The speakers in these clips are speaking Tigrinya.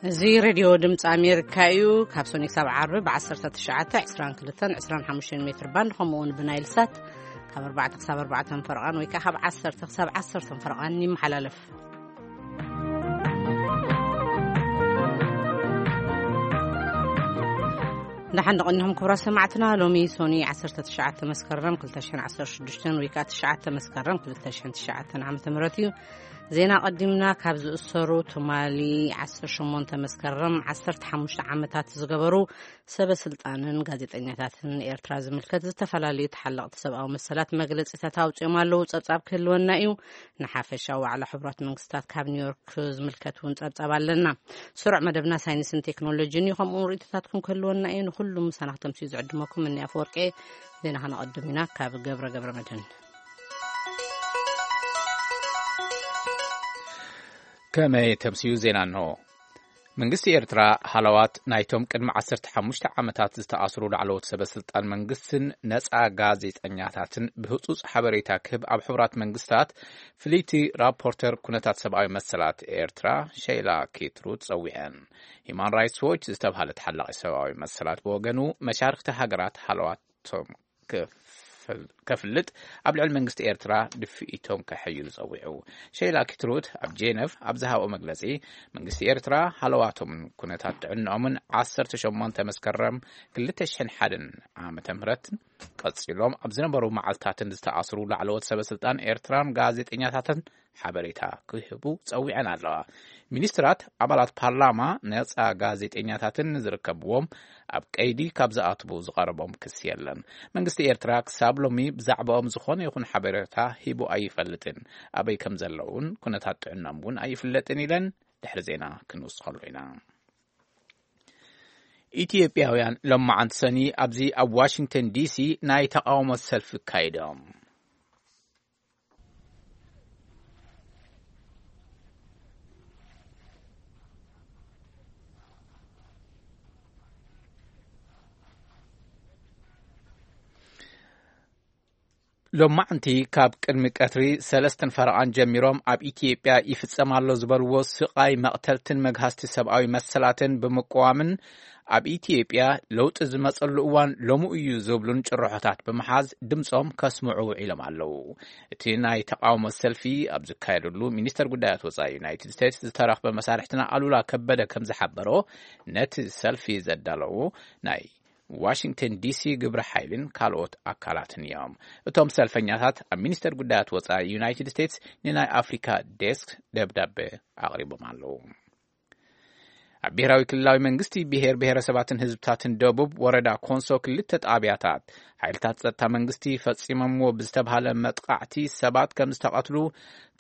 እዚ ሬድዮ ድምፂ ኣሜሪካ እዩ። ካብ ሶኒ ክሳብ ዓርቢ ብ19፣ 22፣ 25 ሜትር ባንድ፣ ከምኡ እውን ብናይል ሳት ካብ ኣርባዕተ ክሳብ ኣርባዕተ ፈረቓን ወይ ከዓ ካብ ዓሰርተ ክሳብ ዓሰርተ ፈረቓን ይመሓላለፍ። ደሓን ደቐኒኹም ክቡራት ሰማዕትና። ሎሚ ሶኒ ዓሰርተ ትሽዓተ መስከረም ክልተ ሽሕን ዓሰርተ ሽዱሽተን ወይ ከዓ ትሽዓተ መስከረም ክልተ ሽሕን ትሽዓተን ዓመተ ምህረት እዩ። ዜና ቀዲምና ካብ ዝእሰሩ ትማሊ ዓሰርተ ሸሞንተ መስከረም ዓሰርተ ሓሙሽተ ዓመታት ዝገበሩ ሰበ ስልጣንን ጋዜጠኛታትን ኤርትራ ዝምልከት ዝተፈላለዩ ተሓለቕቲ ሰብኣዊ መሰላት መግለጺታት ኣውጺኦም ኣለዉ። ጸብጻብ ክህልወና እዩ። ንሓፈሻዊ ዋዕላ ሕቡራት መንግስታት ካብ ኒውዮርክ ዝምልከት እውን ጸብጻብ ኣለና። ስሩዕ መደብና ሳይንስን ቴክኖሎጂን እዩ። ከምኡ እውን ርእይቶታትኩም ክህልወና እዩ። ንኹሉ ምሳና ክተምስዩ ዝዕድመኩም እኒ ኣፈወርቂ። ዜና ከነቐድም ኢና ካብ ገብረ ገብረ መድህን። ከመይ ተምስዩ ዜና እንሆ። መንግስቲ ኤርትራ ሃለዋት ናይቶም ቅድሚ ዓሰርተ ሓሙሽተ ዓመታት ዝተኣስሩ ላዕለዎት ሰበ ስልጣን መንግስትን ነጻ ጋዜጠኛታትን ብህጹጽ ሓበሬታ ክህብ ኣብ ሕቡራት መንግስታት ፍልይቲ ራፖርተር ኩነታት ሰብኣዊ መሰላት ኤርትራ ሸይላ ኪትሩት ጸዊዐን። ሂማን ራይትስ ዎች ዝተብሃለ ተሓላቒ ሰብኣዊ መሰላት ብወገኑ መሻርክቲ ሃገራት ሃለዋቶም ክፍል-፣ ከፍልጥ ኣብ ልዕሊ መንግስቲ ኤርትራ ድፍኢቶም ከሐይሉ ጸዊዑ። ሸይላ ኪትሩት ኣብ ጄነቭ ኣብ ዝሃቦ መግለጺ፣ መንግስቲ ኤርትራ ሃለዋቶምን ኩነታት ጥዕንኦምን ዓሰርተ ሸሞንተ መስከረም ክልተ ሽሕን ሓደን ዓመተ ምህረት ቀጺሎም ኣብ ዝነበሩ መዓልታትን ዝተኣስሩ ላዕለዎት ሰበ ስልጣን ኤርትራን ጋዜጠኛታትን ሓበሬታ ክህቡ ጸዊዐን ኣለዋ። ሚኒስትራት፣ ኣባላት ፓርላማ፣ ነጻ ጋዜጠኛታትን ዝርከብዎም ኣብ ቀይዲ ካብ ዝኣትዉ ዝቐረቦም ክሲ የለን። መንግስቲ ኤርትራ ክሳብ ሎሚ ብዛዕባኦም ዝኾነ ይኹን ሓበሬታ ሂቡ ኣይፈልጥን። ኣበይ ከም ዘለውን ኩነታት ጥዕናኦም እውን ኣይፍለጥን ኢለን ድሕሪ ዜና ክንውስኸሉ ኢና። ኢትዮጵያውያን ሎማዓንቲ ሰኒ ኣብዚ ኣብ ዋሽንግተን ዲሲ ናይ ተቃውሞ ሰልፊ ኣካይዶም። ሎማዕንቲ ካብ ቅድሚ ቀትሪ ሰለስተን ፈረቓን ጀሚሮም ኣብ ኢትዮጵያ ይፍጸም ኣሎ ዝበልዎ ስቓይ፣ መቕተልትን መግሃስቲ ሰብኣዊ መሰላትን ብምቅዋምን ኣብ ኢትዮጵያ ለውጢ ዝመጸሉ እዋን ሎሚ እዩ ዝብሉን ጭርሖታት ብምሓዝ ድምጾም ከስምዑ ውዒሎም ኣለዉ። እቲ ናይ ተቃውሞ ሰልፊ ኣብ ዝካየደሉ ሚኒስተር ጉዳያት ወጻኢ ዩናይትድ ስቴትስ ዝተረኽበ መሳርሕትና ኣሉላ ከበደ ከም ዝሓበሮ፣ ነቲ ሰልፊ ዘዳለዉ ናይ ዋሽንግተን ዲሲ ግብረ ሓይልን ካልኦት ኣካላትን እዮም። እቶም ሰልፈኛታት ኣብ ሚኒስተር ጉዳያት ወጻኢ ዩናይትድ ስቴትስ ንናይ ኣፍሪካ ዴስክ ደብዳቤ ኣቕሪቦም ኣለዉ። ኣብ ብሄራዊ ክልላዊ መንግስቲ ብሄር ብሄረሰባትን ህዝብታትን ደቡብ ወረዳ ኮንሶ ክልተ ጣብያታት ሓይልታት ጸጥታ መንግስቲ ፈጺሞምዎ ብዝተብሃለ መጥቃዕቲ ሰባት ከም ዝተቐትሉ፣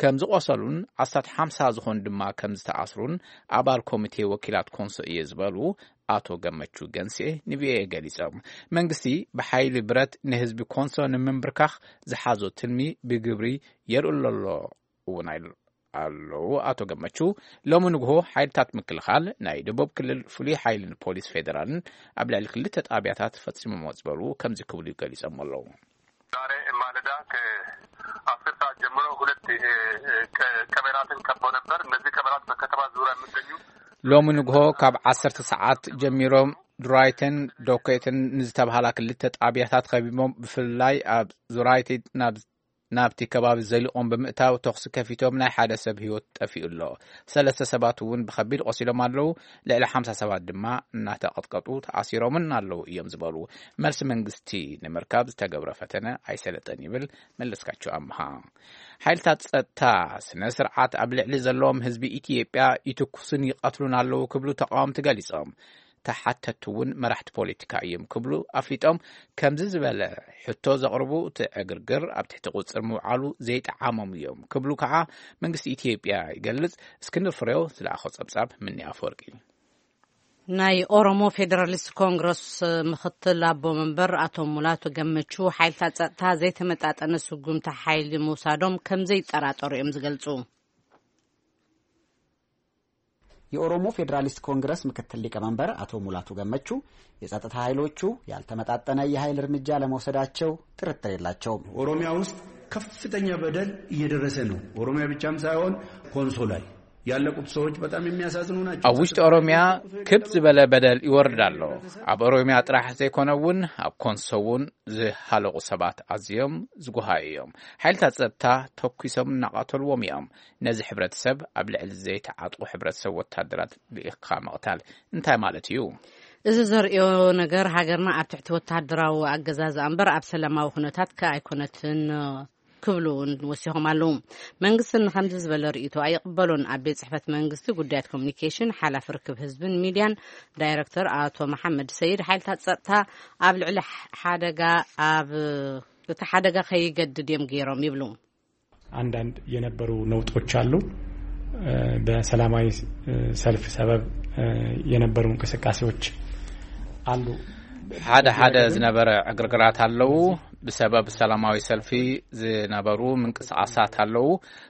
ከም ዝቆሰሉን ኣስታት ሓምሳ ዝኾኑ ድማ ከም ዝተኣስሩን ኣባል ኮሚቴ ወኪላት ኮንሶ እየ ዝበሉ ኣቶ ገመቹ ገንሴ ንቪኦኤ ገሊጾም። መንግስቲ ብሓይሊ ብረት ንህዝቢ ኮንሶ ንምንብርካኽ ዝሓዞ ትልሚ ብግብሪ የርእሎ ኣሎ እውን ኣይሉ-፣ ኣለዉ ኣቶ ገመቹ። ሎሚ ንግሆ ሓይልታት ምክልኻል ናይ ደቡብ ክልል ፍሉይ ሓይልን ፖሊስ ፌዴራልን ኣብ ልዕሊ ክልተ ጣብያታት ፈጺሞሞ ዝበሉ ከምዚ ክብሉ ገሊጾም ኣለዉ። ዛሬ ማለዳ ከ10 ሰዓት ጀምሮ ሁለት፣ እ፣ እ፣ ቀ-፣ ቀበራትን ከበው ነበር። እነዚህ ቀበራት በከተማ ዙሪያ የሚገኙ ሎሚ ንግሆ ካብ ዓሰርተ ሰዓት ጀሚሮም ድራይተን ዶኮይተን ንዝተባሃላ ክልተ ጣብያታት ከቢቦም፣ ብፍላይ ኣብ ዙራይቴ ናብ፣ ናብቲ ከባቢ ዘሊቖም ብምእታው ተኹሲ ከፊቶም ናይ ሓደ ሰብ ህይወት ጠፊኡ ኣሎ። ሰለስተ ሰባት እውን ብኸቢድ ቆሲሎም ኣለዉ። ልዕሊ ሓምሳ ሰባት ድማ እናተቐጥቀጡ ተኣሲሮምን ኣለዉ እዮም ዝበሉ። መልሲ መንግስቲ ንምርካብ ዝተገብረ ፈተነ ኣይሰለጠን ይብል መለስካቸው ኣምሃ። ሓይልታት ጸጥታ ስነ ስርዓት ኣብ ልዕሊ ዘለዎም ህዝቢ ኢትዮጵያ ይትኩስን ይቐትሉን ኣለዉ ክብሉ ተቃወምቲ ገሊጾም። ተሓተትቲ እውን መራሕቲ ፖለቲካ እዮም ክብሉ ኣፍሊጦም። ከምዚ ዝበለ ሕቶ ዘቕርቡ እቲ ዕግርግር ኣብ ትሕቲ ቁጽር ምውዓሉ ዘይጠዓሞም እዮም ክብሉ ከዓ መንግስቲ ኢትዮጵያ ይገልጽ። እስክንድር ፍሬው ዝለኣኾ ጸብጻብ ምኒ ኣፈወርቂ። ናይ ኦሮሞ ፌዴራሊስት ኮንግረስ ምክትል ኣቦ መንበር ኣቶ ሙላቱ ገመቹ ሓይልታት ጸጥታ ዘይተመጣጠነ ስጉምቲ ሓይሊ ምውሳዶም ከም ዘይጠራጠሩ እዮም ዝገልጹ። የኦሮሞ ፌዴራሊስት ኮንግረስ ምክትል ሊቀመንበር አቶ ሙላቱ ገመቹ የጸጥታ ኃይሎቹ ያልተመጣጠነ የኃይል እርምጃ ለመውሰዳቸው ጥርጥር የላቸውም። ኦሮሚያ ውስጥ ከፍተኛ በደል እየደረሰ ነው። ኦሮሚያ ብቻም ሳይሆን ኮንሶ ላይ ያለቁት ሰዎች በጣም የሚያሳዝኑ ናቸው። ኣብ ውሽጢ ኦሮሚያ ክብ ዝበለ በደል ይወርድ ኣሎ። ኣብ ኦሮሚያ ጥራሕ ዘይኮነ እውን ኣብ ኮንሶ እውን ዝሃለቁ ሰባት ኣዝዮም ዝጉሃዩ እዮም። ሓይልታት ጸጥታ ተኩሶም እናቐተልዎም እዮም። ነዚ ሕብረተሰብ ኣብ ልዕሊ ዘይተዓጥቁ ሕብረተሰብ ወታደራት ልኢኽካ ምቕታል እንታይ ማለት እዩ? እዚ ዘርእዮ ነገር ሃገርና ኣብ ትሕቲ ወታደራዊ ኣገዛዝ እምበር ኣብ ሰላማዊ ኩነታት ከ ኣይኮነትን ክብሉ እውን ወሲኾም ኣለዉ። መንግስቲ ንኸምዚ ዝበለ ርእይቶ ኣይቕበሎን። ኣብ ቤት ጽሕፈት መንግስቲ ጉዳያት ኮሚኒኬሽን ሓላፊ ርክብ ህዝብን ሚድያን ዳይረክተር ኣቶ መሓመድ ሰይድ ሓይልታት ጸጥታ ኣብ ልዕሊ ሓደጋ ኣብ እቲ ሓደጋ ከይገድድ እዮም ገይሮም ይብሉ። አንዳንድ የነበሩ ነውጦች አሉ። በሰላማዊ ሰልፍ ሰበብ የነበሩ እንቅስቃሴዎች አሉ። ሓደ ሓደ ዝነበረ ዕግርግራት ኣለዉ። ብሰበብ ሰላማዊ ሰልፊ ዝነበሩ ምንቅስቃሳት ኣለዉ።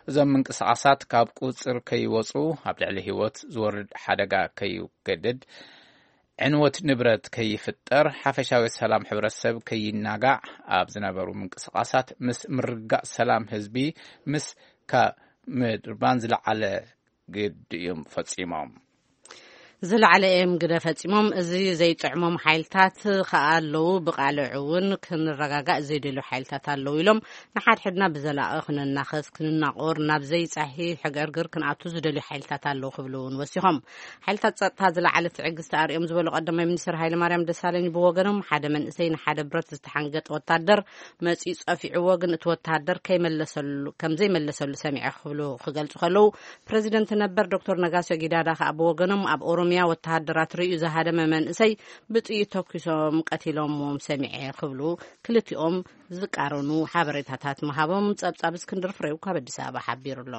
እዞም ምንቅስቃሳት ካብ ቁፅር ከይወፁ፣ ኣብ ልዕሊ ህይወት ዝወርድ ሓደጋ ከይገድድ፣ ዕንወት ንብረት ከይፍጠር፣ ሓፈሻዊ ሰላም ሕብረተሰብ ከይናጋዕ ኣብ ዝነበሩ ምንቅስቃሳት ምስ ምርጋእ ሰላም ህዝቢ ምስ ካብ ምድርባን ዝለዓለ ግድ እዮም ፈጺሞም። ዝለዓለ እዮም ግደ ፈጺሞም። እዚ ዘይጥዕሞም ሓይልታት ከኣ ኣለዉ። ብቃልዕ እውን ክንረጋጋእ ዘይደልዩ ሓይልታት ኣለዉ ኢሎም ንሓድሕድና ብዘላቒ ክንናኸስ፣ ክንናቆር፣ ናብ ዘይጻሒ ሕገርግር ክንኣቱ ዝደልዩ ሓይልታት ኣለዉ ክብሉ እውን ወሲኾም። ሓይልታት ጸጥታ ዝለዓለ ትዕግስቲ ኣርእዮም ዝበሉ ቀዳማይ ሚኒስትር ሃይለማርያም ደሳለኝ ብወገኖም፣ ሓደ መንእሰይ ንሓደ ብረት ዝተሓንገጠ ወታደር መጺኡ ጸፊዕዎ፣ ግን እቲ ወታደር ከይመለሰሉ፣ ከም ዘይመለሰሉ ሰሚዐ ክብሉ ክገልጹ ከለዉ፣ ፕረዚደንት ነበር ዶክተር ነጋሶ ጊዳዳ ከኣ ብወገኖም፣ ኣብ ኦሮሚያ ወተሃደራት ርእዩ ዝሃደመ መንእሰይ ብጥይት ተኩሶም ቀቲሎምዎም ሰሚዐ ክብሉ ክልቲኦም ዝቃረኑ ሓበሬታታት ምሃቦም ጸብጻብ እስክንድር ፍሬው ካብ ኣዲስ ኣበባ ሓቢሩ ኣሎ።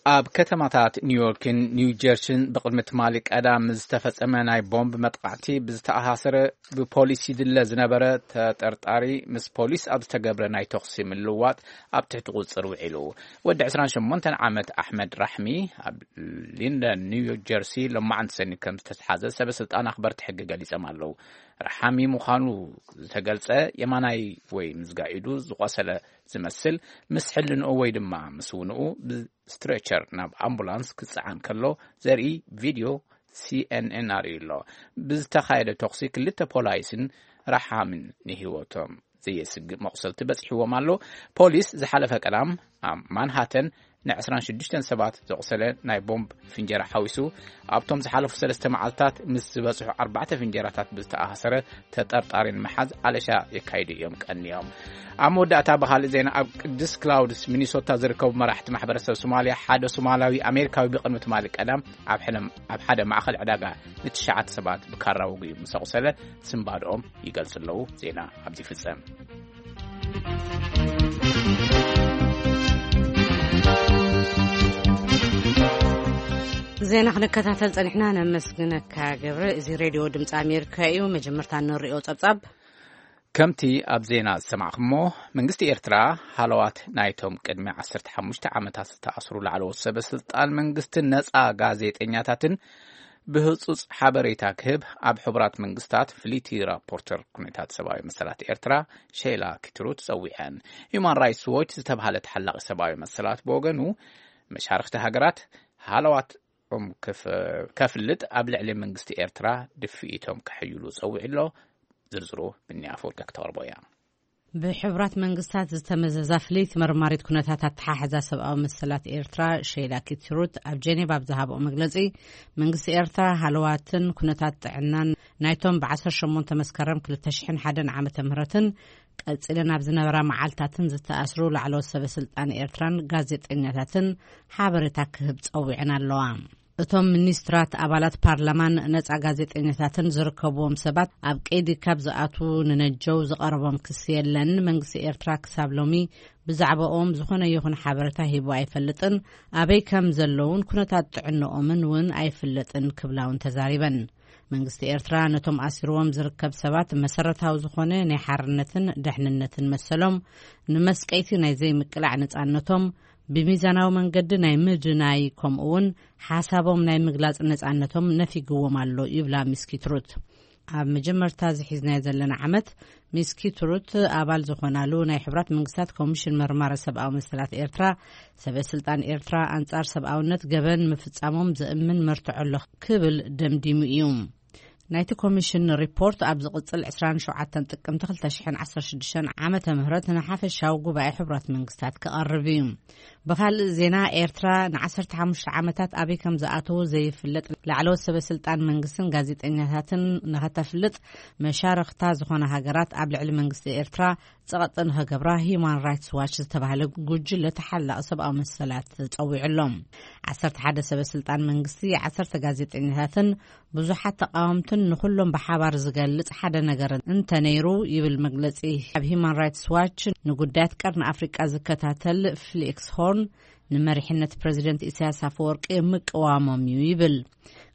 ኣብ ከተማታት ኒውዮርክን ኒው ጀርሲን ብቕድሚ ትማሊ ቀዳም ዝተፈጸመ ናይ ቦምብ መጥቃዕቲ ብዝተኣሳሰረ ብፖሊስ ይድለ ዝነበረ ተጠርጣሪ ምስ ፖሊስ ኣብ ዝተገብረ ናይ ተኹሲ ምልውዋጥ ኣብ ትሕቲ ቁጽጽር ውዒሉ። ወዲ ዕስራን ሸሞንተን ዓመት ኣሕመድ ራሕሚ ኣብ ሊንደን ኒው ጀርሲ ሎማዓንቲ ሰኒ ከም ዝተትሓዘ ሰበ ስልጣን ኣኽበርቲ ሕጊ ገሊጾም ኣለዉ። ራሓሚ ምዃኑ ዝተገልጸ የማናይ ወይ ምዝጋኢዱ ዝቖሰለ ዝመስል ምስ ሕልንኡ ወይ ድማ ምስ ውንኡ ብስትሬቸር ናብ ኣምቡላንስ ክጸዓን ከሎ ዘርኢ ቪድዮ ሲኤንኤን ኣርእዩ ኣሎ። ብዝተኻየደ ተኹሲ ክልተ ፖላይስን ረሓምን ንህይወቶም ዘየስግእ መቑሰልቲ በጺሕዎም ኣሎ። ፖሊስ ዝሓለፈ ቀዳም ኣብ ማንሃተን ን ዕስራን ሽዱሽተን ሰባት ዘቑሰለ ናይ ቦምብ ፍንጀራ ሓዊሱ ኣብቶም ዝሓለፉ ሰለስተ መዓልታት ምስ ዝበጽሑ ኣርባዕተ ፍንጀራታት ብዝተኣሳሰረ ተጠርጣሪ ንምሓዝ ኣለሻ የካይዱ እዮም ቀንዮም። ኣብ መወዳእታ ብኻልእ ዜና ኣብ ቅዱስ ክላውድስ ሚኒሶታ ዝርከቡ መራሕቲ ማሕበረሰብ ሶማልያ ሓደ ሶማላዊ ኣሜሪካዊ ብቕድሚ ትማሊ ቀዳም ኣብ ሕነ-፣ ኣብ ሓደ ማእኸል ዕዳጋ ንትሽዓተ ሰባት ብካራ ወጊኡ ምስ ኣቑሰለ ስንባድኦም ይገልጹ ኣለዉ። ዜና ኣብዚ ይፍጸም። ዜና ክንከታተል ጸኒሕና፣ ነመስግነካ ገብረ። እዚ ሬድዮ ድምፂ ኣሜሪካ እዩ። መጀመርታ እንሪኦ ጸብጻብ። ከምቲ ኣብ ዜና ዝሰማዕኩሞ፣ መንግስቲ ኤርትራ ሃለዋት ናይቶም ቅድሚ ዓሰርተ ሓሙሽተ ዓመታት ዝተኣስሩ ላዕለዎት ሰበ ስልጣን መንግስትን ነጻ ጋዜጠኛታትን ብህጹጽ ሓበሬታ ክህብ ኣብ ሕቡራት መንግስታት ፍልይቲ ራፖርተር ኩነታት ሰብኣዊ መሰላት ኤርትራ ሼላ ኪትሩት ጸዊዐን። ሁማን ራይትስ ዎች ዝተባህለ ተሓላቒ ሰብኣዊ መሰላት ብወገኑ፣ መሻርኽቲ ሃገራት ሃለዋቶም ክፍ-፣ ከፍልጥ ኣብ ልዕሊ መንግስቲ ኤርትራ ድፍኢቶም ከሕይሉ ጸዊዑ ኣሎ። ዝርዝሩ ብኒ ኣፈወርቂ ክተቕርቦ እያ። ብሕቡራት መንግስታት ዝተመዘዛ ፍልይቲ መርማሪት ኩነታት ኣተሓሕዛ ሰብኣዊ መሰላት ኤርትራ ሼላ ኪትሩት ኣብ ጀኔቫ ኣብ ዝሃብኦ መግለጺ፣ መንግስቲ ኤርትራ ሃለዋትን ኩነታት ጥዕናን ናይቶም ብዓሰርተ ሸሞንተ መስከረም ክልተ ሽሕን ሓደን ዓመተ ምህረትን ቀጺለን ኣብ ዝነበራ መዓልታትን ዝተኣስሩ ላዕለዎት ሰበ ስልጣን ኤርትራን ጋዜጠኛታትን ሓበሬታ ክህብ ጸዊዐን ኣለዋ። እቶም ሚኒስትራት፣ ኣባላት ፓርላማን ነጻ ጋዜጠኛታትን ዝርከብዎም ሰባት ኣብ ቀይዲ ካብ ዝኣትዉ ንነጀው ዝቐረቦም ክሲ የለን። መንግስቲ ኤርትራ ክሳብ ሎሚ ብዛዕባኦም ዝኾነ ይኹን ሓበሬታ ሂቡ ኣይፈልጥን። ኣበይ ከም ዘለውን ኩነታት ጥዕንኦምን እውን ኣይፍለጥን ክብላ እውን ተዛሪበን። መንግስቲ ኤርትራ ነቶም ኣሲርዎም ዝርከብ ሰባት መሰረታዊ ዝኾነ ናይ ሓርነትን ደሕንነትን መሰሎም፣ ንመስቀይቲ ናይ ዘይምቅላዕ ነጻነቶም፣ ብሚዛናዊ መንገዲ ናይ ምድናይ፣ ከምኡ እውን ሓሳቦም ናይ ምግላጽ ነጻነቶም ነፊግዎም ኣሎ ይብላ ሚስ ኪትሩት። ኣብ መጀመርታ ዝሒዝናዮ ዘለና ዓመት፣ ሚስ ኪትሩት ኣባል ዝኾናሉ ናይ ሕቡራት መንግስታት ኮሚሽን መርማሪ ሰብኣዊ መሰላት ኤርትራ፣ ሰበ ስልጣን ኤርትራ ኣንጻር ሰብኣውነት ገበን ምፍጻሞም ዘእምን መርትዖ ኣሎ ክብል ደምዲሙ እዩ። ናይቲ ኮሚሽን ሪፖርት ኣብ ዝቕጽል ዕስራን ሸውዓተን ጥቅምቲ ክልተ ሽሕን ዓሰርተ ሽዱሽተን ዓመተ ምህረት ንሓፈሻዊ ጉባኤ ሕቡራት መንግስታት ክቐርብ እዩ። ብኻልእ ዜና፣ ኤርትራ ንዓሰርተ ሓሙሽተ ዓመታት ኣበይ ከም ዝኣተዉ ዘይፍለጥ ላዕለዎት ሰበ ስልጣን መንግስትን ጋዜጠኛታትን ንኸተፍልጥ መሻርኽታ ዝኾነ ሃገራት ኣብ ልዕሊ መንግስቲ ኤርትራ ጸቐጢ ንኸገብራ ሂዩማን ራይትስ ዋች ዝተባህለ ጉጅለ ተሓላቒ ሰብኣዊ መሰላት ጸዊዑ ኣሎ። ዓሰርተ ሓደ ሰበ ስልጣን መንግስቲ፣ ዓሰርተ ጋዜጠኛታትን ብዙሓት ተቃወምትን ንኹሎም ብሓባር ዝገልጽ ሓደ ነገር እንተነይሩ፣ ይብል መግለጺ ኣብ ሂዩማን ራይትስ ዋች፣ ንጉዳያት ቀርኒ ኣፍሪቃ ዝከታተል ፍሊክስ ሆርን፣ ንመሪሕነት ፕረዚደንት ኢሳያስ ኣፈወርቂ ምቅዋሞም እዩ ይብል።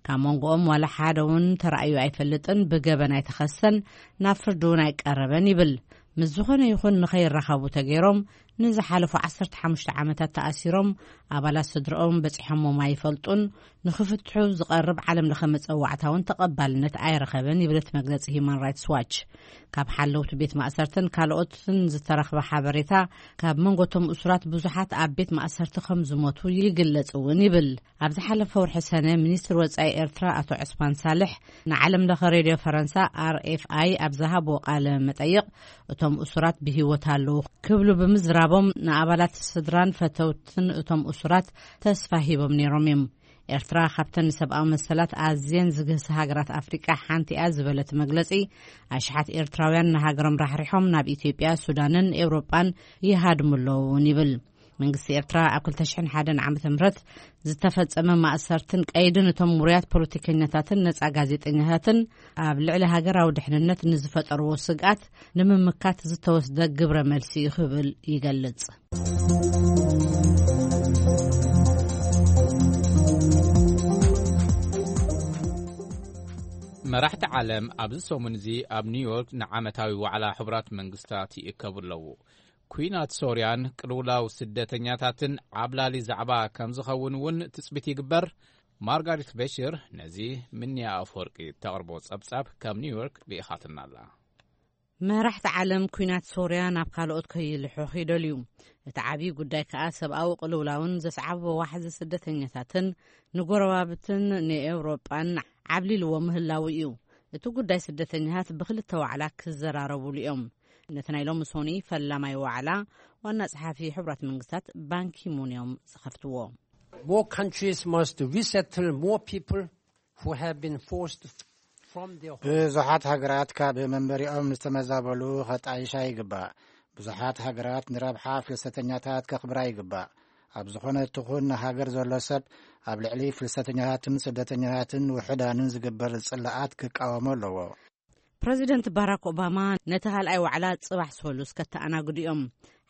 ካብ መንጎኦም ዋላ ሓደ እውን ተራእዩ ኣይፈልጥን፣ ብገበን ኣይተኸሰን፣ ናብ ፍርዲ እውን ኣይቀረበን ይብል። ምስ ዝኾነ ይኹን ንኸይራኸቡ ተገይሮም፣ ንዝሓለፉ ዓሰርተ ሓሙሽተ ዓመታት ተኣሲሮም፣ ኣባላት ስድረኦም በጺሖሞም ኣይፈልጡን፣ ንኽፍትሑ ዝቐርብ ዓለም ለኸ መጸዋዕታ እውን ተቐባልነት ኣይረኸበን ይብል እቲ መግለጺ ሂዩማን ራይትስ ዋች። ካብ ሓለውቲ ቤት ማእሰርትን ካልኦትን ዝተረኽበ ሓበሬታ፣ ካብ መንጎቶም እሱራት ብዙሓት ኣብ ቤት ማእሰርቲ ከም ዝሞቱ ይግለጽ እውን ይብል። ኣብ ዝሓለፈ ወርሒ ሰነ፣ ሚኒስትር ወጻኢ ኤርትራ ኣቶ ዑስማን ሳልሕ ንዓለም ለኸ ሬድዮ ፈረንሳ፣ ኣር ኤፍ ኣይ፣ ኣብ ዝሃብዎ ቃለ መጠይቕ፣ እቶም እሱራት ብህይወት ኣለዉ ክብሉ ብምዝራቦም፣ ንኣባላት ስድራን ፈተውትን እቶም እሱራት ተስፋ ሂቦም ነይሮም እዮም። ኤርትራ ካብተን ንሰብኣዊ መሰላት ኣዝየን ዝግህሳ ሃገራት ኣፍሪቃ ሓንቲ እያ ዝበለ እቲ መግለጺ፣ ኣሽሓት ኤርትራውያን ንሃገሮም ራሕሪሖም ናብ ኢትዮጵያ፣ ሱዳንን ኤውሮጳን ይሃድሙ ኣለዉ እውን ይብል። መንግስቲ ኤርትራ ኣብ ክልተ ሽሕን ሓደን ዓመተ ምህረት ዝተፈጸመ ማእሰርትን ቀይድን እቶም ውሩያት ፖለቲከኛታትን ነጻ ጋዜጠኛታትን ኣብ ልዕሊ ሃገራዊ ድሕንነት ንዝፈጠርዎ ስግኣት ንምምካት ዝተወስደ ግብረ መልሲ እዩ ክብል ይገልጽ። መራሕቲ ዓለም ኣብዚ ሰሙን እዚ ኣብ ኒውዮርክ ንዓመታዊ ዋዕላ ሕቡራት መንግስታት ይእከቡ ኣለዉ። ኩናት ሶርያን ቅልውላው ስደተኛታትን ዓብላሊ ዛዕባ ከም ዝኸውን እውን ትጽቢት ይግበር። ማርጋሪት በሽር ነዚ ምንያ ኣፍወርቂ እተቕርቦ ጸብጻብ ካብ ኒውዮርክ ልኢኻትና ኣላ። መራሕቲ ዓለም ኩናት ሶርያ ናብ ካልኦት ከይልሕኽ ይደልዩ። እቲ ዓብዪ ጉዳይ ከኣ ሰብኣዊ ቅልውላውን ዘስዓቦ ዋሕዚ ስደተኛታትን ንጎረባብትን ንኤውሮጳን ዓብሊልዎ ምህላዉ እዩ። እቲ ጉዳይ ስደተኛታት ብክልተ ዋዕላ ክዘራረቡሉ እዮም። ነቲ ናይ ሎሚ ሶኒ ፈላማይ ዋዕላ ዋና ጸሓፊ ሕቡራት መንግስታት ባንኪሙን እዮም ዝኸፍትዎ። More countries must resettle more people who have been forced from their homes. ብዙሓት ሃገራት ካብ መንበሪኦም ዝተመዛበሉ ከጣይሻ ይግባእ። ብዙሓት ሃገራት ንረብሓ ፍልሰተኛታት ከኽብራ ይግባእ። ኣብ ዝኾነ ትኹን ሃገር ዘሎ ሰብ ኣብ ልዕሊ ፍልሰተኛታትን ስደተኛታትን ውሑዳንን ዝግበር ጽልኣት ክቃወሞ ኣለዎ። ፕረዚደንት ባራክ ኦባማ ነቲ ካልኣይ ዋዕላ ጽባሕ ሰሉስ ከተኣናግዱ እዮም።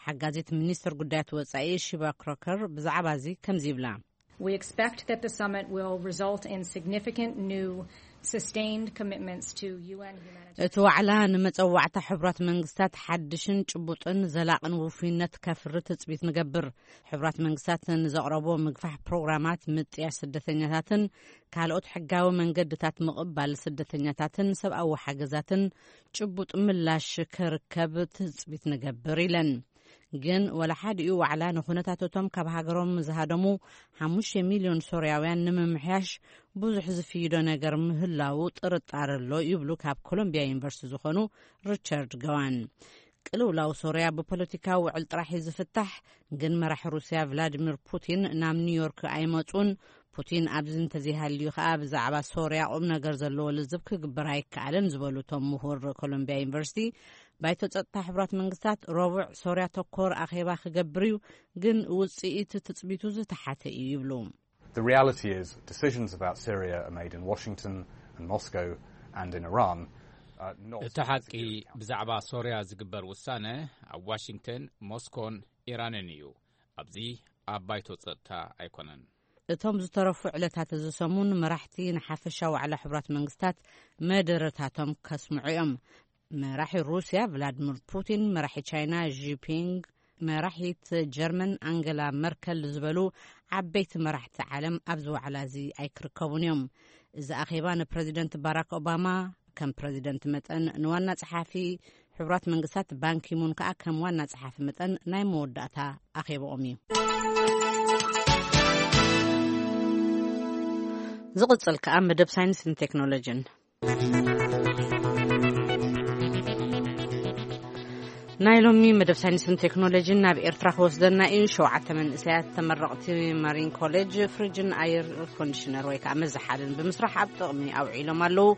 ሓጋዚት ሚኒስትር ጉዳያት ወጻኢ ሺባ ክሮከር ብዛዕባ እዚ ከምዚ ይብላ። We expect that the summit will result in significant new sustained commitments to U N humanitarian. እቲ ዋዕላ ንመጸዋዕታ ሕቡራት መንግስታት ሓድሽን ጭቡጥን ዘላቕን ውፉይነት ከፍሪ ትጽቢት ንገብር። ሕቡራት መንግስታት ንዘቕረቦ ምግፋሕ ፕሮግራማት ምጥያሽ ስደተኛታትን ካልኦት ሕጋዊ መንገድታት ምቕባል ስደተኛታትን ሰብኣዊ ሓገዛትን ጭቡጥ ምላሽ ክርከብ ትጽቢት ንገብር ኢለን። ግን ወላ ሓዲኡ ዋዕላ ንኹነታትቶም ካብ ሃገሮም ዝሃደሙ ሓሙሽተ ሚልዮን ሶርያውያን ንምምሕያሽ ብዙሕ ዝፍይዶ ነገር ምህላዉ ጥርጣረ ኣሎ ይብሉ ካብ ኮሎምቢያ ዩኒቨርሲቲ ዝኾኑ ሪቻርድ ገዋን። ቅልውላው ሶርያ ብፖለቲካዊ ውዕል ጥራሕ እዩ ዝፍታሕ። ግን መራሒ ሩስያ ቭላዲሚር ፑቲን ናብ ኒውዮርክ ኣይመጹን። ፑቲን ኣብዚ እንተዘይሃልዩ ከኣ ብዛዕባ ሶርያ ቁም ነገር ዘለዎ ልዝብ ክግበር ኣይከኣልን ዝበሉ እቶም ምሁር ኮሎምቢያ ዩኒቨርሲቲ፣ ባይቶ ጸጥታ ሕቡራት መንግስታት ረቡዕ ሶርያ ተኮር ኣኼባ ክገብር እዩ፣ ግን ውጽኢት ትጽቢቱ ዝተሓተ እዩ ይብሉ። The reality is decisions about Syria are made in Washington and Moscow and in Iran. Uh, not እቲ ሓቂ፣ ብዛዕባ ሶርያ ዝግበር ውሳነ ኣብ ዋሽንግተን፣ ሞስኮን ኢራንን እዩ። ኣብዚ ኣብ ባይቶ ጸጥታ ኣይኮነን። እቶም ዝተረፉ ዕለታት እዚ ሰሙን መራሕቲ ንሓፈሻ ዋዕላ ሕቡራት መንግስታት መደረታቶም ከስምዑ እዮም። መራሒ ሩስያ ቭላድሚር ፑቲን፣ መራሒ ቻይና ዢፒንግ፣ መራሒት ጀርመን ኣንገላ መርከል ዝበሉ ዓበይቲ መራሕቲ ዓለም ኣብዚ ዋዕላ እዚ ኣይክርከቡን እዮም። እዚ ኣኼባ ንፕረዚደንት ባራክ ኦባማ ከም ፕረዚደንት መጠን ንዋና ጸሓፊ ሕቡራት መንግስታት ባንኪሙን ከኣ ከም ዋና ጸሓፊ መጠን ናይ መወዳእታ ኣኼባኦም እዩ። ዝቕጽል ከኣ መደብ ሳይንስን ቴክኖሎጂን። ናይ ሎሚ መደብ ሳይንስን ቴክኖሎጂን ናብ ኤርትራ ክወስደና እዩ። ሸውዓተ መንእሰያት ተመረቕቲ ማሪን ኮሌጅ ፍሪጅን ኣየር ኮንዲሽነር ወይ ከዓ መዘሓልን ብምስራሕ ኣብ ጥቕሚ ኣውዒሎም ኣለዉ።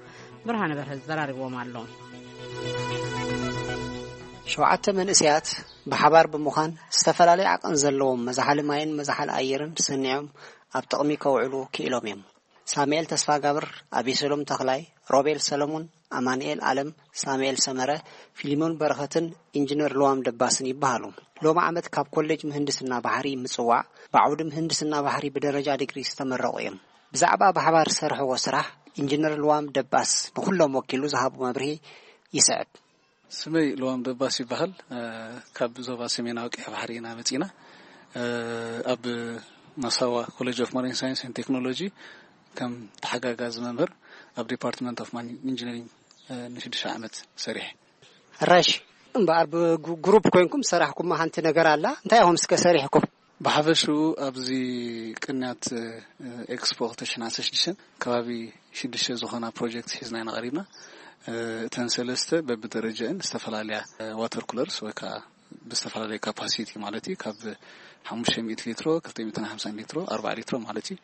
ብርሃነ በርሀ ዘራሪብዎም ኣሎ። ሸውዓተ መንእሰያት ብሓባር ብምዃን ዝተፈላለዩ ዓቐን ዘለዎም መዛሓሊ ማይን መዛሓሊ ኣየርን ሰኒዖም ኣብ ጥቕሚ ከውዕሉ ክኢሎም እዮም። ሳሙኤል ተስፋጋብር፣ ኣቤሰሎም ተኽላይ፣ ሮቤል ሰለሙን፣ ኣማንኤል ኣለም፣ ሳሙኤል ሰመረ፣ ፊሊሞን በረኸትን ኢንጂነር ልዋም ደባስን ይበሃሉ። ሎሚ ዓመት ካብ ኮሌጅ ምህንድስና ባሕሪ ምጽዋዕ ብዓውዲ ምህንድስና ባሕሪ ብደረጃ ዲግሪ ዝተመረቑ እዮም። ብዛዕባ ብሓባር ዝሰርሕዎ ስራሕ ኢንጂነር ልዋም ደባስ ንኹሎም ወኪሉ ዝሃቦ መብርሂ ይስዕብ። ስመይ ልዋም ደባስ ይበሃል። ካብ ዞባ ሰሜናዊ ቀይሕ ባሕሪ ኢና መጺና። ኣብ ማሳዋ ኮሌጅ ኦፍ ማሪን ሳይንስ ኤንድ ቴክኖሎጂ ከም ተሓጋጋዚ መምህር ኣብ ዲፓርትመንት ኦፍ ማሪን ኢንጂነሪንግ ንሽዱሽተ ዓመት ሰሪሐ። ሕራሽ እምበኣር ብግሩፕ ኮይንኩም ሰራሕኩም ሓንቲ ነገር ኣላ። እንታይ ኢኹም እስከ ሰሪሕኩም? ብሓፈሽኡ ኣብዚ ቅንያት ኤክስፖ ክልተ ሽሕን ዓሰርተ ሽዱሽተን ከባቢ ሽዱሽተ ዝኾና ፕሮጀክት ሒዝና ኢና ቀሪብና። እተን ሰለስተ በብደረጃእን ዝተፈላለያ ዋተር ኩለርስ ወይ ከዓ ብዝተፈላለየ ካፓሲቲ ማለት እዩ። ካብ ሓሙሽተ ሚእቲ ሊትሮ፣ ክልተ ሚእትን ሓምሳን ሊትሮ፣ ኣርባዓ ሊትሮ ማለት እዩ።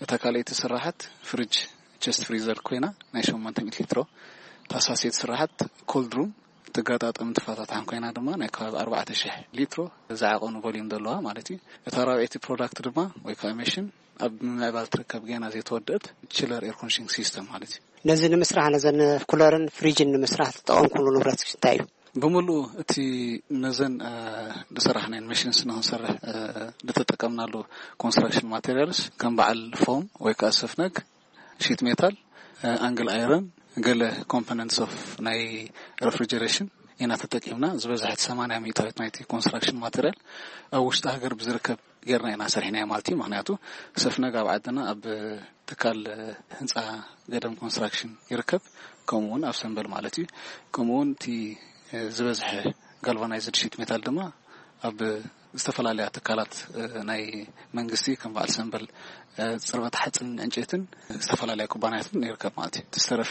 እታ ካልኣይቲ ስራሓት ፍሪጅ ቸስት ፍሪዘር ኮይና ናይ ሸሞንተ ሚእቲ ሊትሮ። እታ ሳሴት ስራሓት ኮልድ ሩም ተጋጣጠም ትፋታትሓን ኮይና ድማ ናይ ከባቢ ኣርባዕተ ሽሕ ሊትሮ ዝዓቐኑ ቮሊዩም ዘለዋ ማለት እዩ። እታ ራብዐይቲ ፕሮዳክት ድማ ወይ ከዓ ሜሽን ኣብ ምምዕባል ትርከብ ገና ዘይተወደአት ችለር ኤር ኮንዲሽኒንግ ሲስተም ማለት እዩ። ነዚ ንምስራሕ ነዘን ኩለርን ፍሪጅን ንምስራሕ ተጠቐምኩሉ ንብረት እንታይ እዩ? ብምሉኡ እቲ ነዘን ዝሰራሕናየን መሽንስ ንክንሰርሕ ዝተጠቀምናሉ ኮንስትራክሽን ማቴሪያልስ ከም በዓል ፎም ወይ ከዓ ሰፍነግ፣ ሺት ሜታል፣ ኣንግል ኣይረን፣ ገለ ኮምፖነንትስ ኦፍ ናይ ሬፍሪጀሬሽን ኢና ተጠቂምና። ዝበዝሐት ሰማንያ ሚእታዊት ናይቲ ኮንስትራክሽን ማቴሪያል ኣብ ውሽጢ ሃገር ብዝርከብ ጌርና ኢና ሰሪሕናዮ ማለት እዩ። ምክንያቱ ሰፍነግ ኣብ ዓድና ኣብ ትካል ህንፃ ገደም ኮንስትራክሽን ይርከብ። ከምኡ እውን ኣብ ሰንበል ማለት እዩ። ከምኡ እውን እቲ ዝበዝሐ ጋልቫናይዝድ ሺት ሜታል ድማ ኣብ ዝተፈላለያ ትካላት ናይ መንግስቲ ከም በዓል ሰንበል ፅርበት ሓፅን ዕንጨይትን ዝተፈላለያ ኩባንያትን ይርከብ ማለት እዩ። ዝተረፈ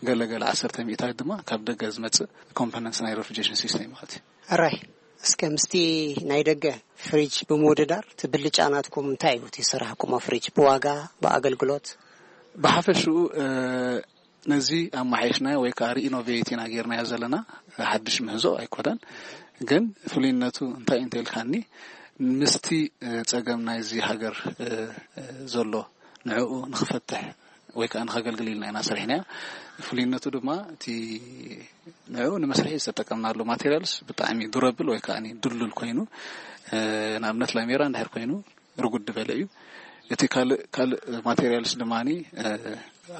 ገለገለ ዓሰርተ ሚእታዊት ድማ ካብ ደገ ዝመፅእ ኮምፖነንትስ ናይ ሬፍሪጀሬሽን ሲስተም ማለት እዩ። ሕራይ እስከ ምስቲ ናይ ደገ ፍሪጅ ብምውድዳር እቲ ብልጫ ናትኩም እንታይ እዩ? እቲ ዝሰራሕኩሞ ፍሪጅ ብዋጋ ብኣገልግሎት? ብሓፈሽኡ ነዚ ኣመሓይሽናዮ ወይ ከዓ ሪኢኖቬት ኢና ጌርናዮ ዘለና። ሓድሽ ምህዞ ኣይኮነን፣ ግን ፍሉይነቱ እንታይ እንተኢልካኒ ምስቲ ፀገም ናይዚ ሃገር ዘሎ ንዕኡ ንክፈትሕ ወይ ከዓ ንከገልግል ኢልና ኢና ሰሪሕናዮ። ፍሉይነቱ ድማ እቲ ንዕኡ ንመስርሒ ዝተጠቀምናሉ ማቴሪያልስ ብጣዕሚ ዱረብል ወይ ከዓ ድሉል ኮይኑ፣ ንኣብነት ላሜራ እንድሕር ኮይኑ ርጉድ ዝበለ እዩ። እቲ ካልእ ካልእ ማቴሪያልስ ድማ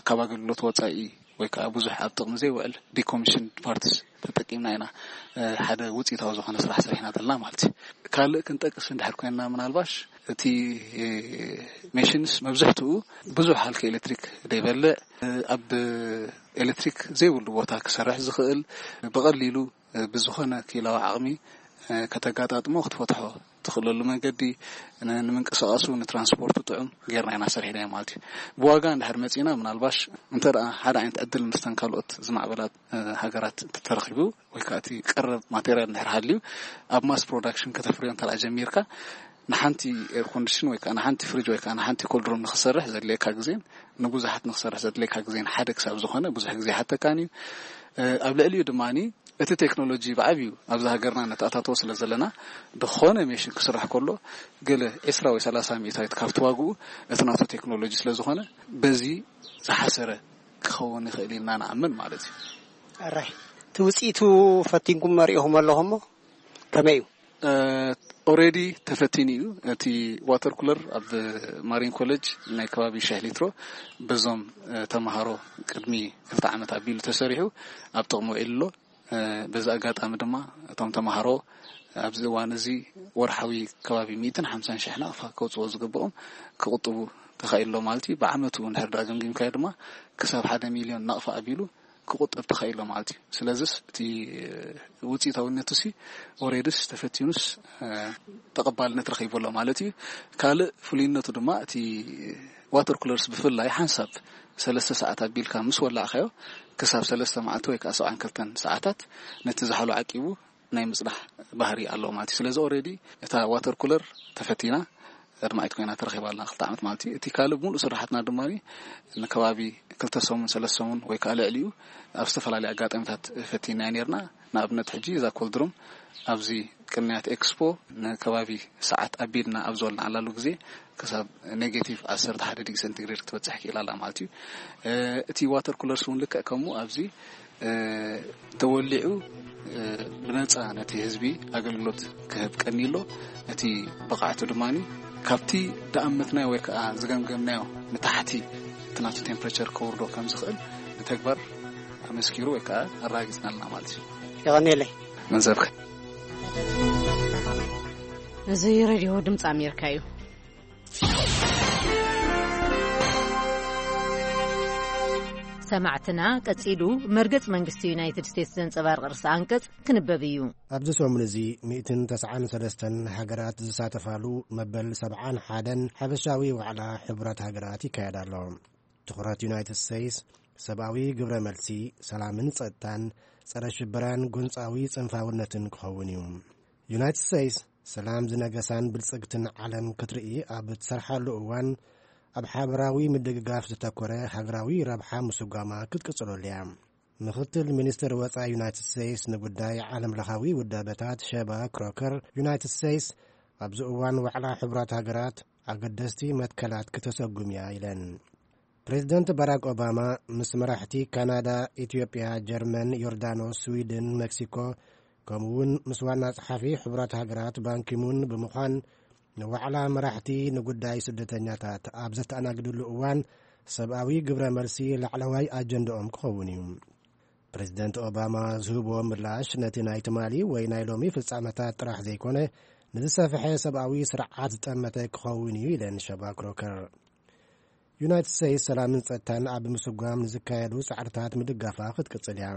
ካብ ኣገልግሎት ወፃኢ ወይ ከዓ ብዙሕ ኣብ ጥቕሚ ዘይውዕል ዲኮሚሽን ፓርትስ ተጠቂምና ኢና ሓደ ውፅኢታዊ ዝኾነ ስራሕ ሰሪሕና ዘለና ማለት እዩ። ካልእ ክንጠቅስ እንድሕር ኮይንና ምናልባሽ እቲ ሜሽንስ መብዝሕትኡ ብዙሕ ሃልኪ ኤሌክትሪክ ዘይበልዕ፣ ኣብ ኤሌክትሪክ ዘይብሉ ቦታ ክሰርሕ ዝኽእል፣ ብቐሊሉ ብዝኾነ ክኢላዊ ዓቕሚ ከተጋጣጥሞ ክትፈትሖ ትኽእለሉ መንገዲ፣ ንምንቅስቃሱ ንትራንስፖርቱ ጥዑም ጌርና ኢና ሰሪሕናዮ ማለት እዩ። ብዋጋ እንድሕር መፂና ምናልባሽ እንተ ሓደ ዓይነት ዕድል ምስተን ካልኦት ዝማዕበላ ሃገራት እንተተረኺቡ ወይ ከዓ እቲ ቀረብ ማቴሪያል እንድሕር ሃልዩ ኣብ ማስ ፕሮዳክሽን ከተፍርዮ እንተ ጀሚርካ ንሓንቲ ኤር ኮንዲሽን ወይ ከዓ ንሓንቲ ፍሪጅ ወይ ከዓ ንሓንቲ ኮልድሩም ንክሰርሕ ዘድልየካ ግዜን ንብዙሓት ንክሰርሕ ዘድልየካ ግዜን ሓደ ክሳብ ዝኾነ ብዙሕ ግዜ ሓተካን እዩ። ኣብ ልዕሊኡ ድማ እቲ ቴክኖሎጂ ብዓብዩ ኣብዚ ሃገርና ነተኣታተዎ ስለ ዘለና ዝኾነ ሜሽን ክስራሕ ከሎ ገለ ዕስራ ወይ ሰላሳ ሚእታዊት ካብቲ ዋግኡ እቲ ናቱ ቴክኖሎጂ ስለ ዝኾነ በዚ ዝሓሰረ ክኸውን ይኽእል ኢልና ንኣምን ማለት እዩ። ኣራይ እቲ ውፅኢቱ ፈቲንኩም መሪእኹም ኣለኹም ከመይ እዩ? ኦሬዲ ተፈቲኑ እዩ። እቲ ዋተር ኩለር ኣብ ማሪን ኮሌጅ ናይ ከባቢ ሽሕ ሊትሮ በዞም ተምሃሮ ቅድሚ ክልተ ዓመት ኣቢሉ ተሰሪሑ ኣብ ጥቕሚ ውዒሉ ኣሎ። በዚ ኣጋጣሚ ድማ እቶም ተምሃሮ ኣብዚ እዋን እዚ ወርሓዊ ከባቢ ሚእትን ሓምሳን ሽሕ ናቕፋ ከውፅዎ ዝግብኦም ክቕጥቡ ተኻኢሎ ማለት እዩ። ብዓመቱ እንድሕር ዳ ገምጊምካዮ ድማ ክሳብ ሓደ ሚልዮን ናቕፋ ኣቢሉ ክቑጠብ ተኻኢሎ ማለት እዩ። ስለዚስ እቲ ውፅኢታዊነቱ ሲ ኦሬድስ ተፈቲኑስ ተቐባልነት ረኺቡ ኣሎ ማለት እዩ። ካልእ ፍሉይነቱ ድማ እቲ ዋተር ኩለርስ ብፍላይ ሓንሳብ ሰለስተ ሰዓት ኣቢልካ ምስ ወላዕካዮ ክሳብ ሰለስተ መዓልቲ ወይ ከዓ ሰብዓን ክልተን ሰዓታት ነቲ ዝሓሎ ዓቂቡ ናይ ምጽናሕ ባህሪ ኣለዎ ማለት እዩ። ስለዚ ኦሬዲ እታ ዋተር ኩለር ተፈቲና ኣድማዒት ኮይና ተረኺባ ኣላ ክልተ ዓመት ማለት እዩ። እቲ ካልእ ሙሉእ ስራሓትና ድማ ንከባቢ ክልተ ሰሙን ሰለስተ ሰሙን ወይ ከዓ ልዕሊኡ ኣብ ዝተፈላለዩ ኣጋጣሚታት ፈቲና ነርና። ንኣብነት ሕጂ እዛ ኮልድሩም ኣብዚ ቅንያት ኤክስፖ ንከባቢ ሰዓት ኣቢልና ኣብ ዝበልናዓላሉ ግዜ ክሳብ ኔጌቲቭ ዓሰርተ ሓደ ዲግሪ ሴንቲግሬድ ክትበፅሕ ክኢላ ኣላ ማለት እዩ። እቲ ዋተር ኩለርስ እውን ልክዕ ከምኡ ኣብዚ ተወሊዑ ብነፃ ነቲ ህዝቢ ኣገልግሎት ክህብ ቀኒሎ። እቲ ብቕዓቱ ድማ ካብቲ ደኣመትናዮ ወይ ከዓ ዝገምገምናዮ ንታሕቲ እቲ ናቱ ቴምፕሬቸር ከውርዶ ከም ዝኽእል ብተግባር ኣመስኪሩ ወይ ከዓ ኣረጋጊፅና ኣለና ማለት እዩ። የቐንየለይ። መንዘብከ እዚ ሬድዮ ድምፂ ኣሜሪካ እዩ። ሰማዕትና ቀጺሉ መርገጽ መንግስቲ ዩናይትድ ስቴትስ ዘንጸባርቕ ርእሰ ኣንቀጽ ክንበብ እዩ። ኣብዚ ሰሙን እዚ ሚእትን ተስዓን ሰለስተን ሃገራት ዝሳተፋሉ መበል ሰብዓን ሓደን ሓበሻዊ ዋዕላ ሕቡራት ሃገራት ይካየድ ኣሎ። ትኹረት ዩናይትድ ስቴትስ ሰብኣዊ ግብረ መልሲ፣ ሰላምን ጸጥታን፣ ጸረ ሽበራን ጎንጻዊ ጽንፋውነትን ክኸውን እዩ። ዩናይትድ ስቴትስ ሰላም ዝነገሳን ብልጽግትን ዓለም ክትርኢ ኣብ እትሰርሓሉ እዋን፣ ኣብ ሓበራዊ ምድግጋፍ ዝተኮረ ሃገራዊ ረብሓ ምስጓማ ክትቅጽለሉ እያ። ምኽትል ሚኒስትር ወጻኢ ዩናይትድ ስቴትስ ንጉዳይ ዓለም ለኻዊ ውዳበታት ሸባ ክሮከር፣ ዩናይትድ ስቴትስ ኣብዚ እዋን ዋዕላ ሕቡራት ሃገራት ኣገደስቲ መትከላት ክተሰጉም እያ ኢለን። ፕሬዚደንት ባራክ ኦባማ ምስ መራሕቲ ካናዳ፣ ኢትዮጵያ፣ ጀርመን፣ ዮርዳኖስ፣ ስዊድን፣ ሜክሲኮ፣ ከምኡ እውን ምስ ዋና ጸሓፊ ሕቡራት ሃገራት ባንኪሙን ብምዃን ንዋዕላ መራሕቲ ንጉዳይ ስደተኛታት ኣብ ዘተኣናግድሉ እዋን ሰብኣዊ ግብረ መልሲ ላዕለዋይ ኣጀንዳኦም ክኸውን እዩ። ፕሬዚደንት ኦባማ ዝህብዎ ምላሽ ነቲ ናይ ትማሊ ወይ ናይ ሎሚ ፍጻመታት ጥራሕ ዘይኮነ ንዝሰፍሐ ሰብኣዊ ስርዓት ዝጠመተ ክኸውን እዩ ኢለን ሸባ ክሮከር። ዩናይትድ ስቴትስ ሰላምን ጸጥታን ኣብ ምስጓም ንዝካየዱ ጻዕርታት ምድጋፋ ክትቅጽል እያ።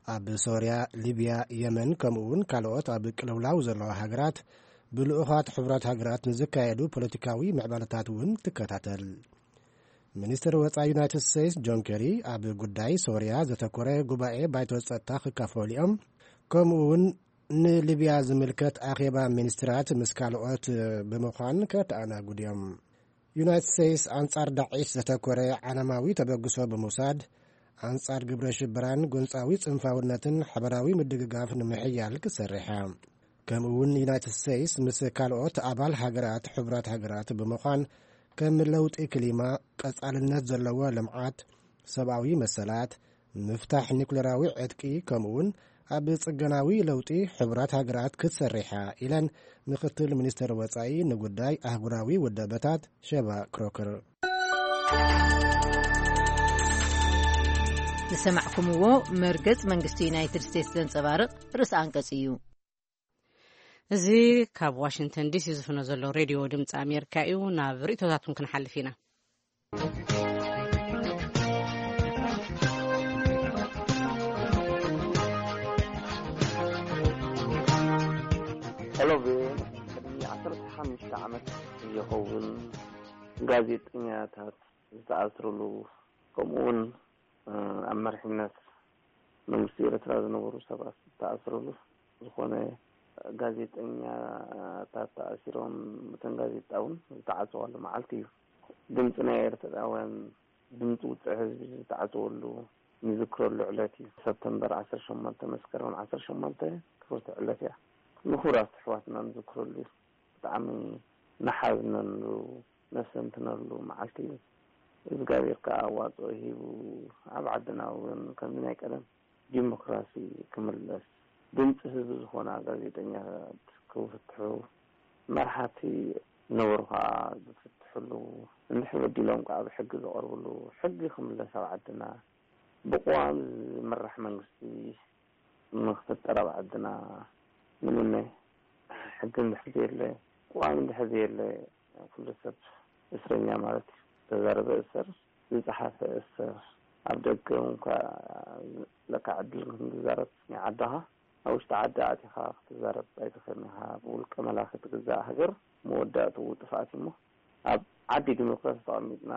ኣብ ሶርያ፣ ሊብያ፣ የመን ከምኡ እውን ካልኦት ኣብ ቅልውላው ዘለዋ ሃገራት ብልኡኻት ሕቡራት ሃገራት ንዝካየዱ ፖለቲካዊ ምዕባለታት እውን ትከታተል። ሚኒስትር ወጻኢ ዩናይትድ ስቴትስ ጆን ኬሪ ኣብ ጉዳይ ሶርያ ዘተኮረ ጉባኤ ባይቶ ጸጥታ ክካፈሉ እዮም። ከምኡ እውን ንሊብያ ዝምልከት ኣኼባ ሚኒስትራት ምስ ካልኦት ብምዃን ከተኣናግዱ እዮም። ዩናይትድ ስቴትስ ኣንጻር ዳዒሽ ዘተኮረ ዓለማዊ ተበግሶ ብምውሳድ ኣንጻር ግብረ ሽበራን ጎንጻዊ ጽንፋውነትን ሓበራዊ ምድግጋፍ ንምሕያል ክትሰርሕ እያ። ከምኡ እውን ዩናይትድ ስቴትስ ምስ ካልኦት ኣባል ሃገራት ሕቡራት ሃገራት ብምዃን ከም ለውጢ ክሊማ፣ ቀጻልነት ዘለዎ ልምዓት፣ ሰብኣዊ መሰላት፣ ምፍታሕ ኒኩሌራዊ ዕጥቂ ከምኡ እውን ኣብ ጽገናዊ ለውጢ ሕቡራት ሃገራት ክትሰርሕ እያ ኢለን ምክትል ሚኒስትር ወጻኢ ንጉዳይ ኣህጉራዊ ውዳበታት ሸባ ክሮከር። ዝሰማዕኩምዎ መርገጽ መንግስቲ ዩናይትድ ስቴትስ ዘንጸባርቕ ርእሰ ኣንቀጽ እዩ። እዚ ካብ ዋሽንግተን ዲሲ ዝፍኖ ዘሎ ሬድዮ ድምፂ ኣሜሪካ እዩ። ናብ ርእቶታትኩም ክንሓልፍ ኢና። ሄሎ ቪኦኤ፣ ቅድሚ ዓሰርተ ሓሙሽተ ዓመት ዝኸውን ጋዜጠኛታት ዝተኣስርሉ፣ ከምኡውን ኣብ መሪሕነት መንግስቲ ኤርትራ ዝነበሩ ሰባት ዝተኣስርሉ፣ ዝኾነ ጋዜጠኛታት ተኣሲሮም፣ እተን ጋዜጣ እውን ዝተዓፀዋሉ መዓልቲ እዩ። ድምፂ ናይ ኤርትራውያን፣ ድምፂ ውፅዕ ህዝቢ ዝተዓፀወሉ፣ ንዝክረሉ ዕለት እዩ። ሰፕተምበር ዓሰርተ ሸሞንተ፣ መስከረም ዓሰርተ ሸሞንተ ክብርቲ ዕለት እያ። ንክቡራት ኣሕዋትና ንዝክረሉ እዩ። ብጣዕሚ ንሓዝነሉ፣ ነስተንትነሉ መዓልቲ እዩ። እግዚኣብሔር ከዓ ኣዋፅኦ ሂቡ፣ ኣብ ዓድና እውን ከምዚ ናይ ቀደም ዲሞክራሲ ክምለስ፣ ድምፂ ህዝቢ ዝኾና ጋዜጠኛታት ክፍትሑ፣ መርሓቲ ዝነበሩ ከዓ ዝፍትሕሉ፣ እንድሕር በዲሎም ከዓ ብሕጊ ዝቐርብሉ፣ ሕጊ ክምለስ ኣብ ዓድና፣ ብቅዋም ዝምራሕ መንግስቲ ንክፍጠር ኣብ ዓድና ንምነ። ሕጊ እንድሕር ዘየለ፣ ቅዋም እንድሕር ዘየለ፣ ኩሉ ሰብ እስረኛ ማለት እዩ። ዝተዛረበ እሰር፣ ዝፀሓፈ እሰር፣ ኣብ ደገ እንኳ ለካ ዕድል ክትዛረብ ናይ ዓድኻ፣ ኣብ ውሽጢ ዓዲ ኣቲኻ ክትዛረብ ኣይትኽእልን ኢኻ። ብውልቀ መላኺ ትግዛእ ሃገር መወዳእትኡ ጥፍኣት እዩ እሞ፣ ኣብ ዓዲ ዲሞክራሲ ተቐሚጥና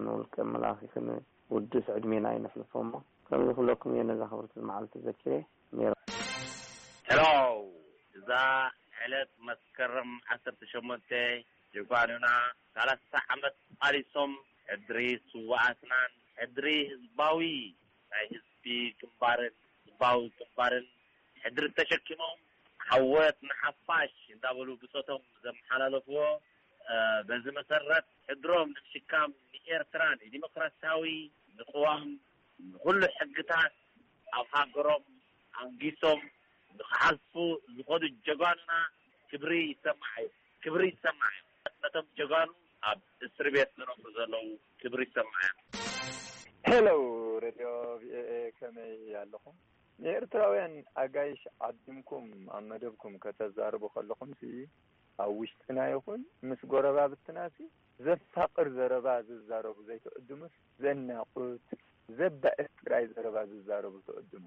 ንውልቀ መላኺ ክንውድስ ዕድሜና ኣይነሕልፎ እሞ፣ ከምዚ ክብለኩም እየ ነዛ ክብርቲ መዓልቲ ዘኪረ ነይረ። ሄሎ፣ እዛ ዕለት መስከረም ዓሰርተ ሸሞንተ ጀጋኑና ሰላሳ ዓመት ቃሊሶም፣ ሕድሪ ስውኣትናን ሕድሪ ህዝባዊ ናይ ህዝቢ ግንባርን ህዝባዊ ግንባርን ሕድሪ ተሸኪሞም፣ ዓወት ንሓፋሽ እንዳበሉ ብጾቶም ዘመሓላለፍዎ፣ እ፣ በዚ መሰረት ሕድሮም ንምሽካም ንኤርትራ ንዲሞክራሲያዊ ንቅዋም ንኹሉ ሕግታት ኣብ ሃገሮም ኣንጊሶም ንክሓልፉ ዝኸዱ ጀጋኑና ክብሪ ይሰማዕ እዩ። ክብሪ ይሰማዕ እዩ። ነቶም ጀጋኑ ኣብ እስሪ ቤት ዝነብሩ ዘለዉ ክብሪ ይሰማዕ እዩ። ሄሎ፣ ሬድዮ ቪኦኤ፣ ከመይ ኣለኹም? ንኤርትራውያን ኣጋይሽ ዓዲምኩም ኣብ መደብኩም ከተዛርቡ ከለኹምሲ፣ ኣብ ውሽጥና ይኹን ምስ ጎረባብትናሲ ዘፋቕር ዘረባ ዝዛረቡ ዘይትዕድሙስ፣ ዘናቑት፣ ዘባእስ ጥራይ ዘረባ ዝዛረቡ ትዕድሙ።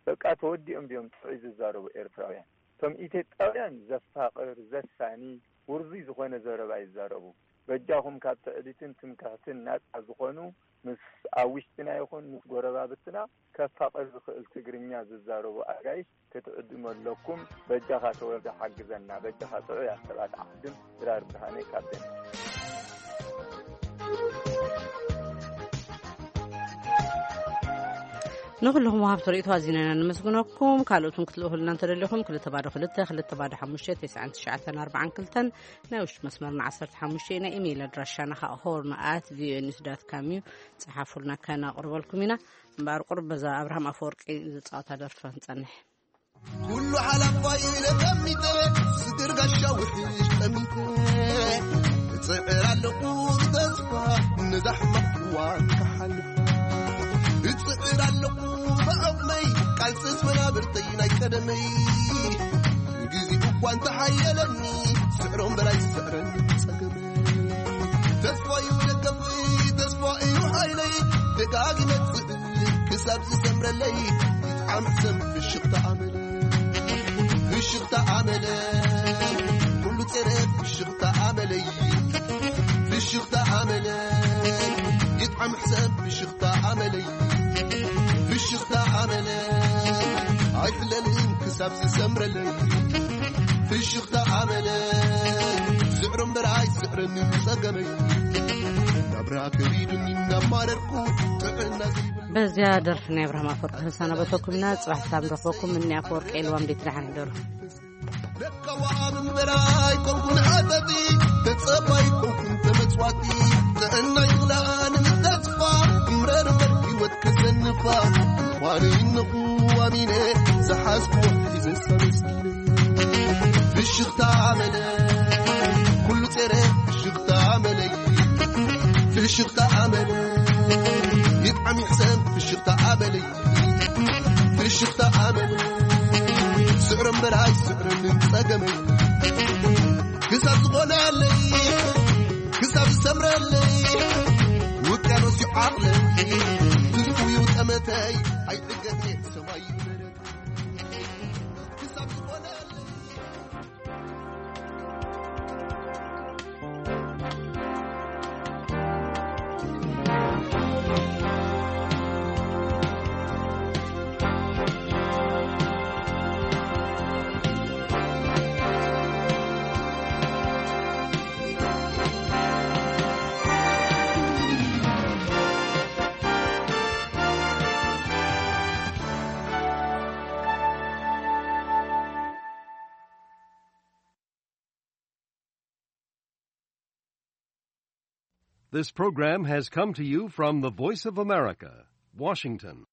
በቃ ተወዲኦም ድዮም ጥዑይ ዝዛረቡ ኤርትራውያን? እቶም ኢትዮጵያውያን ዘፋቕር፣ ዘሳኒ፣ ውርዙይ ዝኾነ ዘረባ ይዛረቡ። በጃኹም ካብ ትዕቢትን ትምክሕትን ናጻ ዝኾኑ፣ ምስ ኣብ ውሽጥና ይኹን ምስ ጎረባብትና ከፋቕር ዝኽእል ትግርኛ ዝዛረቡ ኣጋይሽ ክትዕድሙ ኣለኩም። በጃኻ ተወልደ ሓግዘና፣ በጃኻ ጥዑያት ሰባት ዓድም። ድራር ብርሃነ ካብ ደን። ንኹልኹም ወሃብቲ ርእይቶ ኣዚና ኢና ነመስግነኩም። ካልኦት እውን ክትልእኹልና እንተደሊኹም፣ ክልተ ባዶ ክልተ፣ ክልተ ባዶ ሓሙሽተ፣ ተስዓን ትሽዓተን ኣርባዓን ክልተን፣ ናይ ውሽጢ መስመርና ዓሰርተ ሓሙሽተ እዩ። ናይ ኢሜይል ኣድራሻና ኸኣ ሆርን ኣት ቪኦኤ ኒውስ ዳት ካም እዩ። ጸሓፉልና፣ ከነቕርበልኩም ኢና። እምበኣር፣ ቁሩብ በዛ ኣብርሃም ኣፈወርቂ ዝጻወታ ደርፊ ክንጸንሕ። ኩሉ ሓላፋይ ኢለ ቀሚጠ፣ ስግር ጋሻ ውሕሽ ቀሚጠ፣ እጽዕር ኣለኹ ብተስፋ ነዛ ሕማቕ እዋን ክሓልፍ። እጽዕር ኣለኹ ብዓቕመይ፣ ቃልስስ መናብርተይ ናይ ቀደመይ። ግዜኡ እኳ እንተሓየለኒ፣ ስዕሮ እምበር ኣይስዕረኒ ጸገመይ። ተስፋ እዩ ደገፍይ፣ ተስፋ እዩ ሓይለይ፣ ደጋጊመ እጽዕር ክሳብ ዝሰምረለይ። ይጥዓም ሕሰም ፍሽኽታ ኣመለይ፣ ፍሽኽታ ኣመለይ፣ ኩሉ ጸረ ፍሽኽታ ኣመለይ፣ ፍሽኽታ ኣመለይ፣ ይጥዓም ሕሰም ፍሽኽታ ኣመለይ፣ ፍሽኽታ ኣመለይ፣ ኣይሕለልን ክሳብ ዝሰምረለይ። ፍሽኽታ ኣመለይ፣ ስዕሮ እምበር ኣይስዕረኒ ጸገመይ። ናብራ ከቢዱኒ እናማረርኩ፣ ጥዕና ዘይብሉ። በዚያ ደርፊ ናይ ኣብርሃም ኣፈወርቂ ክንሰናበተኩም ኢና። ጽባሕ ሳም ረኽበኩም። እኒ ኣፈወርቂ ኢልዋም፣ ደይት ደሓን ሕደሩ። ለካዋ ኣብ እምበር ኣይኮንኩን ሓጠጢ፣ ተጸባይ ኣይኮንኩን ተመጽዋቲ። ጥዕና ይኽላኣን ተስፋ፣ እምረር እምበር ህይወት ከሰንፋ። ኳነ ይነኹ ኣሚነ፣ ዝሓዝኩዎ ሒዘ ሰለስኪነ። ፍሽኽታ ኣመለ፣ ኩሉ ጸረ ፍሽኽታ ኣመለይ። ፍሽኽታ ኣመለ፣ ይጥዓም ይሕሰም ፍሽኽታ ኣመለይ። ፍሽኽታ ኣመል ስዕሮ እምበር ኣይስዕረንን ጸገመይ። ክሳብ ዝኾነለይ፣ ክሳብ ዝሰምረለይ፣ ውቅያኖስ እዩ ዓቕለይ። ትልቁ እዩ ጠመተይ፣ ኣይዕገት እየ ሰማይ እዩ መሬት። ክሳብ ዝኾነለይ። This program has come to you from the Voice of America, Washington.